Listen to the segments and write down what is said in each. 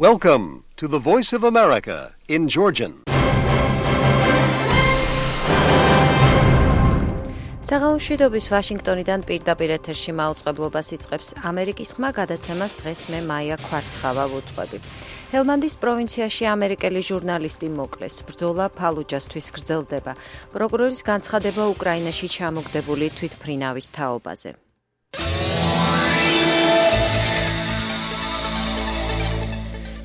Welcome to the Voice of America in Georgian. საღამოშვიდობის ვაშინგტონიდან პირდაპირ ეთერში მაუწყებლობას იწყებს ამერიკის ხმა გადაცემას დღეს მე მაია ქვარცხავა ვუძღვები. ჰელმანდის პროვინციაში ამერიკელი ჟურნალისტი მოკლეს. ბრძოლა ფალუჯასთვის გრძელდება. პროკურორის განცხადება უკრაინაში ჩამოგდებული თვითმფრინავის თაობაზე.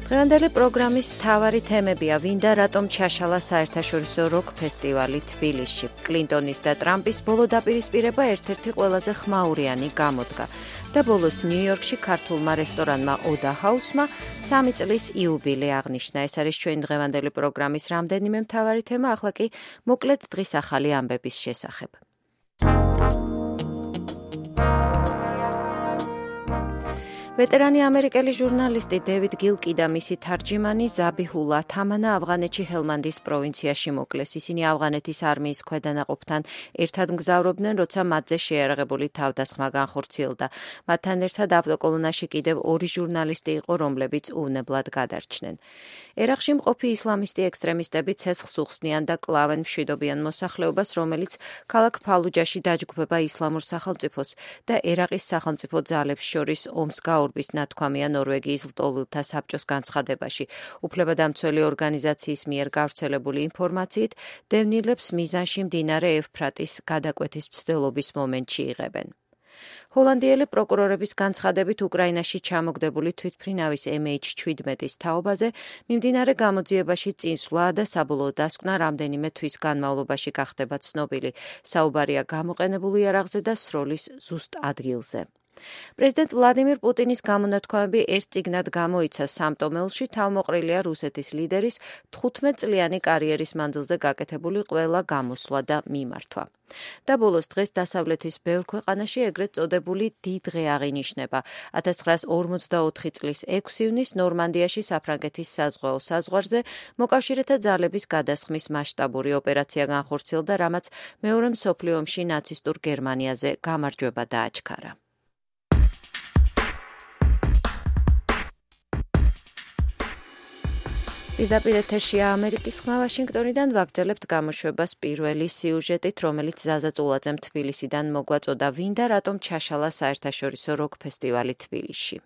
დღევანდელი პროგრამის მთავარი თემებია: ვინ და რატომ ჩაშალა საერთაშორისო როკ ფესტივალი თბილისში. კლინტონის და ტრამპის ბოლო დაპირისპირება ერთ-ერთი ყველაზე ხმაურიანი გამოდგა. და ბოლოს ნიუ-იორკში ქართულმა რესტორანმა ოდა ჰაუსმა 3 წლის იუბილე აღნიშნა. ეს არის ჩვენი დღევანდელი პროგრამის რამდენიმე მთავარი თემა, ახლა კი მოკლედ დღის ახალი ამბების შესახებ. ვეტერანი ამერიკელი ჟურნალისტი დევიდ გილკი და მისი თარჯიმანი ზაბიჰულა თამანა ავღანეთში ჰელმანდის პროვინციაში მოკლეს. ისინი ავღანეთის არმიის ქვედანაყოფთან ერთად მგზავრობდნენ, როცა მათზე შეიარაღებული თავდასხმა განხორციელდა. მათთან ერთად ავტოკოლონაში კიდევ 2 ჟურნალისტი იყო, რომლებიც უვნებლად გადარჩნენ. ერაყში მყოფი ისლამისტი ექსტრემისტები ცეცხლს უხსნიან და კლავენ მშვიდობიან მოსახლეობას, რომელიც ქალაქ ფალუჯაში დაჯგუფება ისლამურ სახელმწიფოს და ერაყის სახელმწიფო ძალებს შორის ომს გაურბის ნათქვამია ნორვეგიის ლტოლვილთა საბჭოს განცხადებაში. უფლებადამცველი ორგანიზაციის მიერ გავრცელებული ინფორმაციით, დევნილებს მიზანში მდინარე ევფრატის გადაკვეთის მცდელობის მომენტში იღებენ. ჰოლანდიელი პროკურორების განცხადებით უკრაინაში ჩამოგდებული თვითმფრინავის MH17-ის თაობაზე მიმდინარე გამოძიებაში წინსვლა და საბოლოო დასკვნა რამდენიმე თვის განმავლობაში გახდება ცნობილი. საუბარია გამოყენებული იარაღზე და სროლის ზუსტ ადგილზე. პრეზიდენტ ვლადიმირ პუტინის გამონათქვამები ერთ წიგნად გამოიცა. სამტომელში თავმოყრილია რუსეთის ლიდერის 15 წლიანი კარიერის მანძილზე გაკეთებული ყველა გამოსვლა და მიმართვა. და ბოლოს დღეს დასავლეთის ბევრ ქვეყანაში ეგრეთ წოდებული დიდ-დღე აღინიშნება. 1944 წლის 6 ივნის ნორმანდიაში საფრანგეთის საზღვაო საზღვარზე მოკავშირეთა ძალების გადასხმის მასშტაბური ოპერაცია განხორციელდა, რამაც მეორე მსოფლიო ომში ნაცისტურ გერმანიაზე გამარჯვება დააჩქარა. პირდაპირ ეთერშია ამერიკის ხმა ვაშინგტონიდან ვაგრძელებთ გამოშვებას პირველი სიუჟეტით, რომელიც ზაზა წულაძემ თბილისიდან მოგვაწოდა. ვინ და რატომ ჩაშალა საერთაშორისო როკ ფესტივალი თბილისში.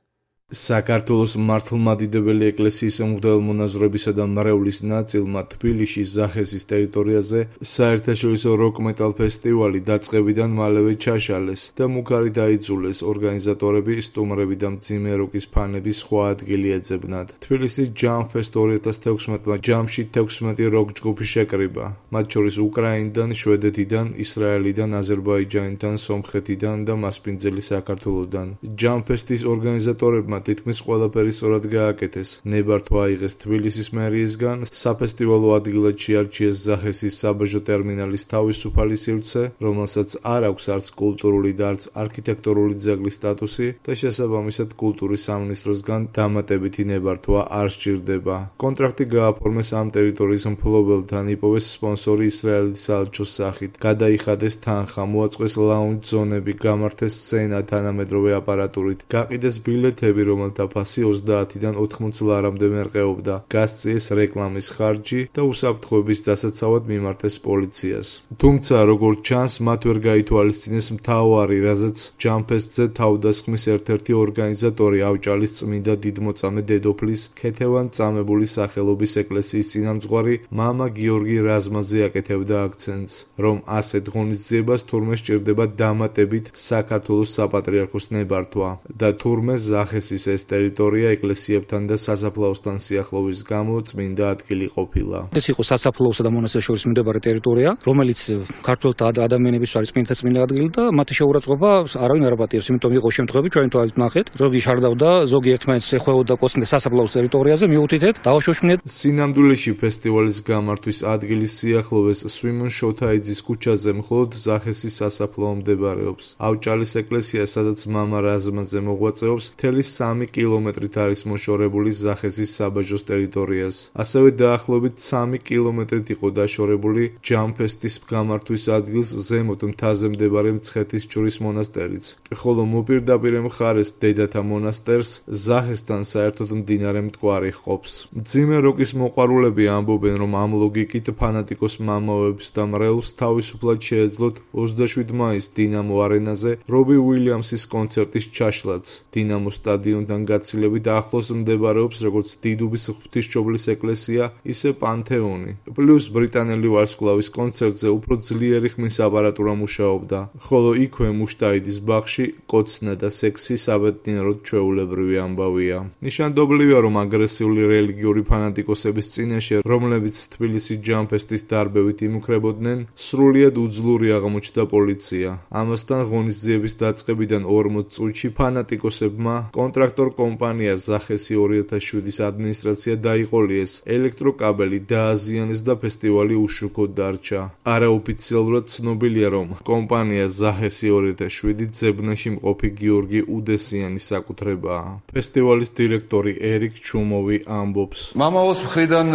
საქართველოს მართლმადიდებელი ეკლესიის მღვდელმონაზრებისა და მრევლის ნაწილმა თბილისში ზახესის ტერიტორიაზე საერთაშორისო როკ-მეტალ ფესტივალი დაწყებიდან მალევე ჩაშალეს და მუქარი დაიძულეს. ორგანიზატორები, სტუმრები და მძიმე როკის ფანები სხვა ადგილი ეძებნათ. თბილისის ჯამფესტ 2016-მა ჯამში 16 როკ ჯგუფი შეკრიბა, მათ შორის უკრაინიდან, შვედეთიდან, ისრაელიდან, აზერბაიჯანიდან, სომხეთიდან და მასპინძელი საქართველოდან. ჯამფესტის ორგანიზატორებმა თითქმის ყველაფერი სწორად გააკეთეს. ნებართვა აიღეს თბილისის მერიისგან, საფესტივალო ადგილად შეარჩიეს ზახესის საბაჟო ტერმინალის თავისუფალი სივრცე, რომელსაც არ აქვს არც კულტურული და არც არქიტექტურული ძეგლის სტატუსი და შესაბამისად კულტურის სამინისტროსგან დამატებითი ნებართვა არ სჭირდება. კონტრაქტი გააფორმეს ამ ტერიტორიის მფლობელთან, იპოვეს სპონსორი ისრაელის საელჩოს სახით, გადაიხადეს თანხა, მოაწყვეს ლაუნჯ ზონები, გამართეს სცენა თანამედროვე აპარატურით, გაყიდეს ბილეთები, რომელთა ფასი 30-დან 80 ლარამდე მერყეობდა, გასწიეს რეკლამის ხარჯი და უსაფრთხოების დასაცავად მიმართეს პოლიციას. თუმცა, როგორც ჩანს, მათ ვერ გაითვალისწინეს მთავარი, რაზეც ჯამფესტზე თავდასხმის ერთ-ერთი ორგანიზატორი ავჭალის წმინდა დიდმოწამე დედოფლის ქეთევან წამებული სახელობის ეკლესიის წინამძღვარი მამა გიორგი რაზმაძე აკეთებდა აქცენტს, რომ ასეთ ღონისძიებას თურმე სჭირდება დამატებით საქართველოს საპატრიარქოს ნებართვა და თურმე ზახესის ეს ტერიტორია ეკლესიებთან და სასაფლაოსთან სიახლოვის გამო წმინდა ადგილი ყოფილა. ეს იყო სასაფლაოსა და მონასტერს შორის მდებარე ტერიტორია, რომელიც ქართველთა ადამიანების არის წმინდა ადგილი და მათი შეურაცხყოფა არავინ არ აპატიებს, იმიტომ იყო შემთხვევები, ჩვენ თვალით ნახეთ, რომ იშარდავდა ზოგი ერთმანეთს ეხვეოდა კოსმოსის სასაფლაოს ტერიტორიაზე, მიუთითეთ, დავაშოშმინეთ. სინამდვილეში ფესტივალის გამართვის ადგილის სიახლოვეს სვიმონ შოთაიძის ქუჩაზე მხოლოდ ზახესის სასაფლაო მდებარეობს. ავჭალის ეკლესია, სადაც მამა რაზმაძე მოღვაწეობს, მთელი 3 კილომეტრით არის მოშორებული ზახესის საბაჟოს ტერიტორიას. ასევე დაახლოებით 3 კილომეტრით იყო დაშორებული ჯამფესტის გამართვის ადგილს ზემოთ მთაზე მდებარე მცხეთის ჯვრის მონასტერიც, ხოლო მოპირდაპირე მხარეს დედათა მონასტერს ზახესთან საერთოდ მდინარე მტკვარი ჰყოფს. მძიმე როკის მოყვარულები ამბობენ, რომ ამ ლოგიკით ფანატიკოს მამაოებს და მრევლს თავისუფლად შეეძლოთ 27 მაისს დინამო არენაზე რობი უილიამსის კონცერტის ჩაშლაც. დინამო სტადიონთან გაცილებით ახლოს მდებარეობს როგორც დიდუბის ღვთისმშობლის ეკლესია, ისე პანთეონი. პლუს ბრიტანელი ვარსკვლავის კონცერტზე უფრო ძლიერი ხმის აპარატურა მუშაობდა, ხოლო იქვე მუშტაიდის ბაღში კოცნა და სექსი საბედნიეროდ ჩვეულებრივი ამბავია. ნიშანდობლივია, რომ აგრესიული რელიგიური ფანატიკოსების წინაშე, რომლებიც თბილისის ჯამფესტის დარბევით იმუქრებოდნენ, სრულიად უძლური აღმოჩნდა პოლიცია. ამასთან ღონისძიების დაწყებიდან 40 წუთში ფანატიკოსებმა კონტრაქტორ კომპანია ზახესი 2007-ის ადმინისტრაცია დაიყოლიეს, ელექტროკაბელი დააზიანეს და ფესტივალი უშუქოდ დარჩა. არაოფიციალურად ცნობილია, რომ კომპანია ზახესი 2007 ძებნაში მყოფი გიორგი უდესიანის საკუთრებაა. ფესტივალის დირექტორი ერიკ ჩუმოვი ამბობს: მამაოს მხრიდან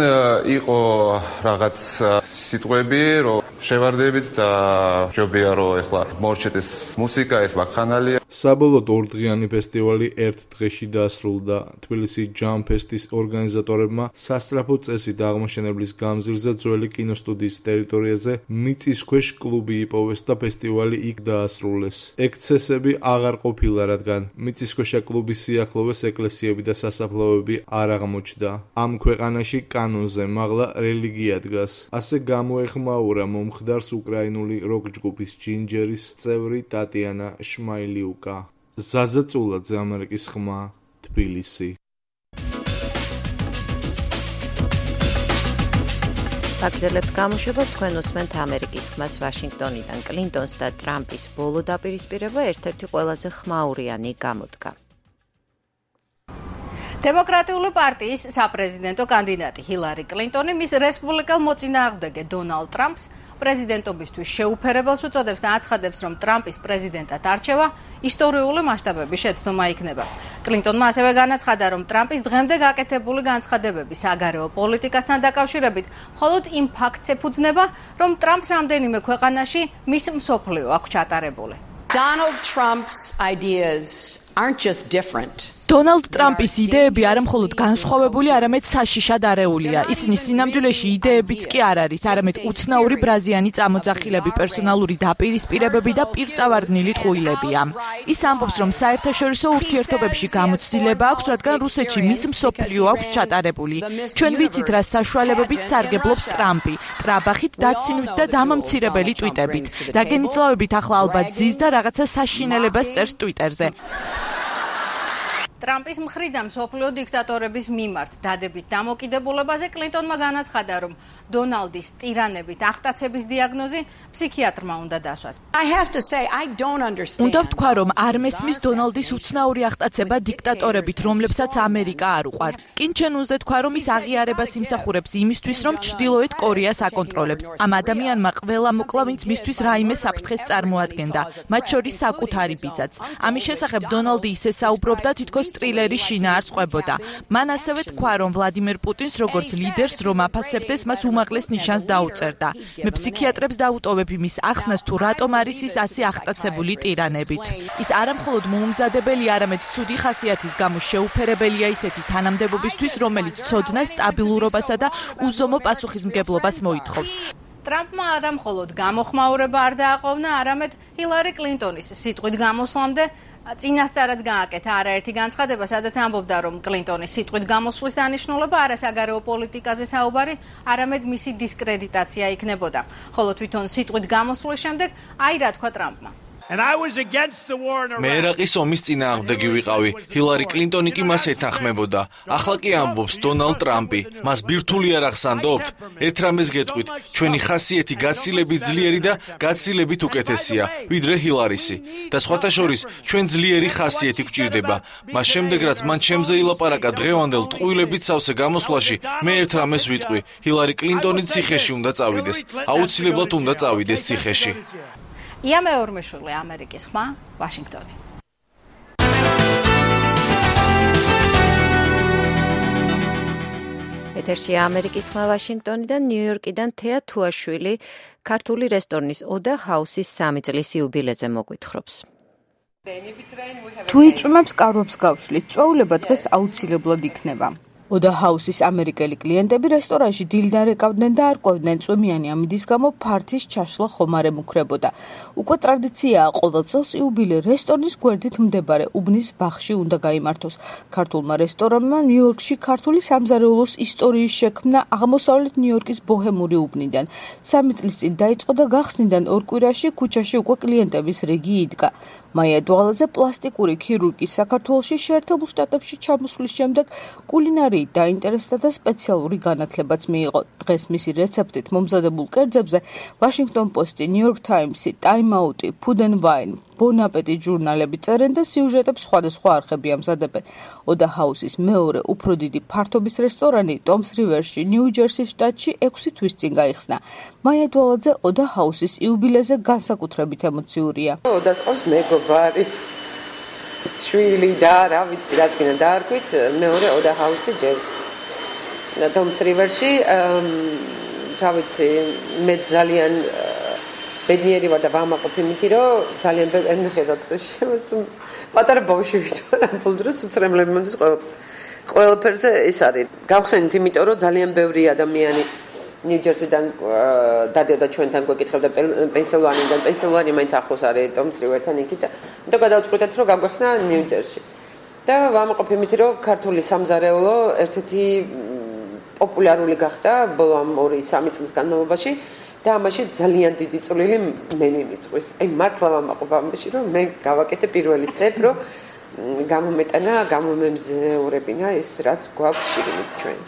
იყო რაღაც სიტყვები, რომ შევარდებით და ჯობია რომ ეხლა მორჩეთ ეს მუსიკა, ეს ვაკხანალია. საბოლოოდ ორდღიანი ფესტივალი ერთ დღეში დასრულდა. თბილისის ჯამფესტის ორგანიზატორებმა სასწრაფო წესით აღმოჩენებლის გამზირზე ძველი კინოსტუდიის ტერიტორიაზე მიწისქვეშ კლუბი იპოვეს და ფესტივალი იქ დაასრულეს. ექსცესები აღარ ყოფილა, რადგან მიწისქვეშა კლუბის სიახლოვეს ეკლესიები და სასაფლაოები არ აღმოჩნდა. ამ ქვეყანაში კანონზე მაღლა რელიგია დგას. ასე გამოეხმაურა მომხდარს უკრაინული როკ ჯგუფის ჯინჯერის წევრი ტატიანა შმაილიუკა. ზაზა წულაძე, ამერიკის ხმა, თბილისი. აგზელებთ გამოშვებას, თქვენ უსმენთ ამერიკის ხმას ვაშინგტონიდან. კლინტონს და ტრამპის ბოლო დაპირისპირება ერთ-ერთი ყველაზე ხმაურიანი გამოდგა. დემოკრატიული პარტიის საპრეზიდენტო კანდიდატი ჰილარი კლინტონი მის რესპუბლიკელ მოწინააღმდეგე დონალდ ტრამპს პრეზიდენტობისთვის შეუფერებელს უწოდებს და აცხადებს, რომ ტრამპის პრეზიდენტად არჩევა ისტორიული მასშტაბების შეცდომა იქნება. კლინტონმა ასევე განაცხადა, რომ ტრამპის დღემდე გაკეთებული განცხადებები საგარეო პოლიტიკასთან დაკავშირებით მხოლოდ იმ ფაქტს ეფუძნება, რომ ტრამპს რამდენიმე ქვეყანაში მის მსოფლიო აქვს ჩატარებული. Donald Trump's ideas aren't just different. დონალდ ტრამპის იდეები არა მხოლოდ განსხვავებული, არამედ საშიშად არეულია. ისინი სინამდვილეში იდეებიც კი არ არის, არამედ უცნაური ბრაზიანი წამოძახილები, პერსონალური დაპირისპირებები და პირწავარდნილი ტყუილებია. ის ამბობს, რომ საერთაშორისო ურთიერთობებში გამოცდილება აქვს, რადგან რუსეთში მის მსოფლიო აქვს ჩატარებული. ჩვენ ვიცით, რა საშუალებებით სარგებლობს ტრამპი, ტრაბახით, დაცინვით და დამამცირებელი ტვიტებით. დაგენიწლავებით ახლა ალბათ ზის და რაღაცა საშინელებას წერს ტვიტერზე. ტრამპის მხრიდან მსოფლიო დიქტატორების მიმართ დადებით დამოკიდებულებაზე კლინტონმა განაცხადა, რომ დონალდის ტირანებით აღტაცების დიაგნოზი ფსიქიატრმა უნდა დასვას. უნდა ვთქვა, რომ არ მესმის დონალდის უცნაური აღტაცება დიქტატორებით, რომლებსაც ამერიკა არ უყვართ. კინჩენ უნდა თქვა, რომ ის აღიარებას იმსახურებს იმისთვის, რომ ჩრდილოეთ კორეას აკონტროლებს. ამ ადამიანმა ყველა მოკლა, ვინც მისთვის რაიმე საფრთხეს წარმოადგენდა, მათ შორის საკუთარი ბიძაც. ამის შესახებ დონალდი ისე საუბრობდა, თითქოს ტრილერი შინაარს ყვებოდა. მან ასევე თქვა, რომ ვლადიმერ პუტინს როგორც ლიდერს რომ აფასებდეს, მას უმაღლეს ნიშანს დაუწერდა. მე ფსიქიატრებს დაუტოვებ იმის ახსნას, თუ რატომ არის ის ასე აღტაცებული ტირანებით. ის არამხოლოდ მოუმზადებელი, არამედ ცუდი ხასიათის გამო შეუფერებელია ისეთი თანამდებობისთვის, რომელიც ცოდნას, სტაბილურობასა და უზომო პასუხისმგებლობას მოითხოვს. ტრამპმა არამხოლოდ გამოხმაურება არ დააყოვნა, არამედ ჰილარი კლინტონის სიტყვით გამოსვლამდე წინასწარაც გააკეთა არაერთი განცხადება, სადაც ამბობდა, რომ კლინტონის სიტყვით გამოსვლის დანიშნულება არა საგარეო პოლიტიკაზე საუბარი, არამედ მისი დისკრედიტაცია იქნებოდა. ხოლო თვითონ სიტყვით გამოსვლის შემდეგ აი რა თქვა ტრამპმა. მე ერაყის ომის წინააღმდეგი ვიყავი. ჰილარი კლინტონი კი მას ეთანხმებოდა. ახლა კი ამბობს დონალდ ტრამპი. მას ბირთვული არ ახსანდობთ? ერთ რამეს გეტყვით, ჩვენი ხასიათი გაცილებით ძლიერი და გაცილებით უკეთესია, ვიდრე ჰილარისი. და სხვათა შორის, ჩვენ ძლიერი ხასიათი გვჭირდება. მას შემდეგ, რაც მან ჩემზე ილაპარაკა დღევანდელ ტყუილებით სავსე გამოსვლაში, მე ერთ რამეს ვიტყვი, ჰილარი კლინტონი ციხეში უნდა წავიდეს. აუცილებლად უნდა წავიდეს ციხეში. იამე ორმეშვილი, ამერიკის ხმა, ვაშინგტონი. ეთერშია ამერიკის ხმა ვაშინგტონიდან, ნიუ-იორკიდან თეა თუაშვილი ქართული რესტორნის ოდა ჰაუსის 3 წლის იუბილეზე მოგვითხრობს. თუ იწვიმებს კარვებს გავშლის, წვეულება დღეს აუცილებლად იქნება. ოდა ჰაუსის ამერიკელი კლიენტები რესტორანში დილიდან რეკავდნენ და არ ყვევდნენ წვიმიანი ამინდის გამო ფართის ჩაშლა ხომ არ ემუქრებოდა. უკვე ტრადიციაა ყოველ წელს იუბილე რესტორნის გვერდით მდებარე უბნის ბაღში უნდა გაიმართოს. ქართულმა რესტორანმა ნიუ-იორკში ქართული სამზარეულოს ისტორიის შექმნა აღმოსავლეთ ნიუ-იორკის ბოჰემური უბნიდან. 3 წლის წინ დაიწყო და გახსნიდან 2 კვირაში ქუჩაში უკვე კლიენტების რიგი იდგა. მაია დვალაძე პლასტიკური ქირურგის საქართველოში შეერთებულ შტატებში ჩამოსვლის შემდეგ კულინარიით დაინტერესდა და სპეციალური განათლებაც მიიღო. დღეს მისი რეცეპტით მომზადებულ კერძებზე Washington Post-ი, New York Times-ი, Time Out-ი, Food and Wine, Bon Appetit ჟურნალები წერენ და სიუჟეტებს სხვადასხვა არხები ამზადებენ. ოდა ჰაუსის მეორე უფრო დიდი ფართობის რესტორანი Toms River-ში, ნიუ-ჯერსის შტატში 6 თვის წინ გაიხსნა. მაია დვალაძე ოდა ჰაუსის იუბილეზე განსაკუთრებით ემოციურია. ოდას ყავს მეგობარი შვილი და რა ვიცი რაც გინდა დაარქვით მეორე ოდა ჰაუსი ჯერს Toms River-ში რა ვიცი მე ძალიან ბედნიერი ვარ და ვამაყობ იმით რომ ძალიან ბევრი ხედავთ პატარა ბავშვი ვარ ამ დროს უცრემლები მომდის ყველაფერზე ეს არის გავხსენით იმიტომ რომ ძალიან ბევრი ადამიანი ნიუ-ჯერსიდან დადიოდა ჩვენთან გვეკითხებდა პენსილვანიიდან პენსილვანია მაინც ახლოს არის Toms River-თან იქით და გადავწყვიტეთ რომ გავგახსნა ნიუ-ჯერსში და ვამაყობ იმით რომ ქართული სამზარეულო ერთ-ერთი პოპულარული გახდა ბოლო 2-3 წლის განმავლობაში და ამაში ძალიან დიდი წვლილი მე მიმიწვის. აი მართლა ვამაყობ ამაში რომ მე გავაკეთე პირველი სტეპ რომ გამომეტანა, გამომემზეურებინა ეს რაც გვაქვს შიგნით ჩვენ.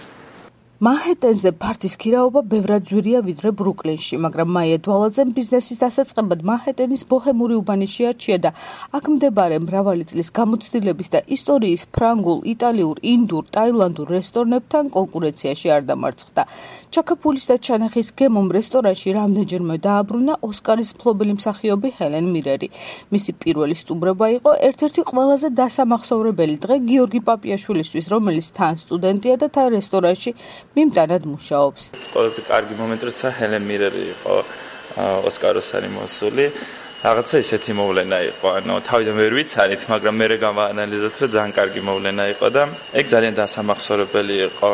მანჰეტენზე ფართის ქირაობა ბევრად ძვირია ვიდრე ბრუკლინში, მაგრამ მაია დვალაძემ ბიზნესის დასაწყებად მანჰეტენის ბოჰემური უბანი შეარჩია და აქ მდებარე მრავალი წლის გამოცდილების და ისტორიის ფრანგულ, იტალიურ, ინდურ, ტაილანდურ რესტორნებთან კონკურენციაში არ დამარცხდა. ჩაქაფულის და ჩანახის გემომ რესტორანში რამდენჯერმე დააბრუნა ოსკარის მფლობელი მსახიობი ჰელენ მირერი. მისი პირველი სტუმრობა იყო ერთ-ერთი ყველაზე დასამახსოვრებელი დღე გიორგი პაპიაშვილისთვის, რომელიც თან სტუდენტია და თან რესტორანში მიმტანად მუშაობს. ყველაზე კარგი მომენტი როცა ჰელენ მირერი იყო ოსკაროსანი მოსული. რაღაცა ისეთი მოვლენა იყო. ანუ თავიდან ვერ ვიცანით, მაგრამ მე გავაანალიზოთ, რომ ძალიან კარგი მოვლენა იყო და ეგ ძალიან დასამახსოვრებელი იყო.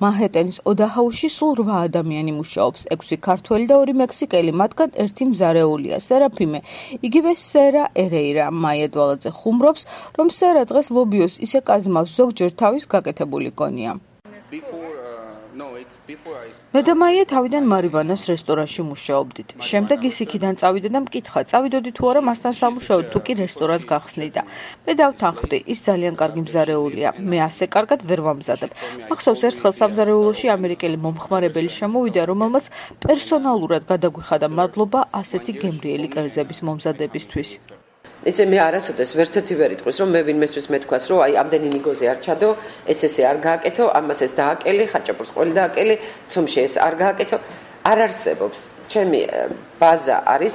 მანჰეტენის ოდა ჰაუსში სულ 8 ადამიანი მუშაობს, 6 ქართველი და 2 მექსიკელი, მათგან ერთი მზარეულია, სერაფიმე. იგივე სერა ერეირა. მაია დვალაძე ხუმრობს, რომ სერა დღეს ლობიოს ისე კაზმავს, ზოგჯერ თავის გაკეთებული კონია. მე და მაია თავიდან მარივანას რესტორანში მუშაობდით. შემდეგ ის იქიდან წავიდა და მკითხა, წავიდოდი თუ არა მასთან სამუშაოდ, თუ კი რესტორანს გახსნიდა. მე დავთანხმდი, ის ძალიან კარგი მზარეულია. მე ასე კარგად ვერ ვამზადებ. მახსოვს ერთხელ სამზარეულოში ამერიკელი მომხმარებელი შემოვიდა, რომელმაც პერსონალურად გადაგვიხადა მადლობა ასეთი გემრიელი კერძების მომზადებისთვის. იცი მე არასოდეს ვერცერთი ვერ იტყვის რომ მე ვინმესთვის მეთქვას რომ აი ამდენი ნიგოზე არ ჩადო ეს არ გააკეთო ამას ეს დააკელი ხაჭაპურს ყველი დააკელი ცომში ეს არ გააკეთო არ არსებობს ჩემი ბაზა არის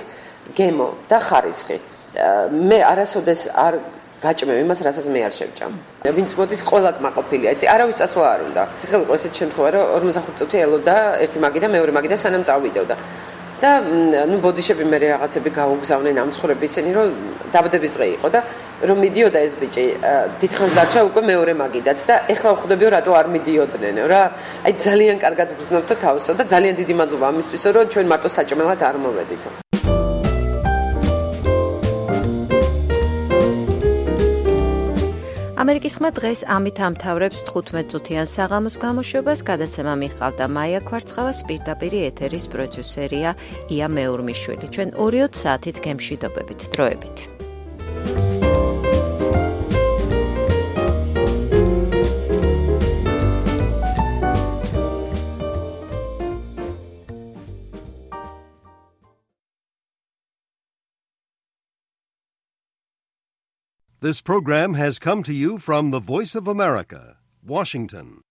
გემო და ხარისხი მე არასოდეს არ გაჭმევ იმას რასაც მე არ შევჭამ ვინც მოდის ყველა კმაყოფილია იცი არავის წასვლა არ უნდა ხელ იყო ესეთ შემთხვევა რომ 45 წუთი ელოდა ერთი მაგი და მეორე მაგი და სანამ წავიდოდა და ნუ ბოდიშები მე რაღაცები გაუგზავნენ ამ ცხოვრების ისენი რომ დაბადების დღე იყო და რომ მიდიოდა ეს ბიჭი დიდხანს დარჩა უკვე მეორე მაგიდაც და ეხლა ვხვდებიო რატო არ მიდიოდნენ რა აი ძალიან კარგად ვგრძნობთო თავსო და ძალიან დიდი მადლობა ამისთვისო რომ ჩვენ მარტო საჭმელად არ მოვედითო ამერიკის ხმა დღეს ამით ამთავრებს 15 წუთიან საღამოს გამოშვებას. გადაცემა მიჰყავდა მაია ქვარცხავას, პირდაპირ ეთერის პროდიუსერია ია მეურმიშვილი. ჩვენ 2 საათით გემშვიდობებით. დროებით. This program has come to you from the Voice of America, Washington.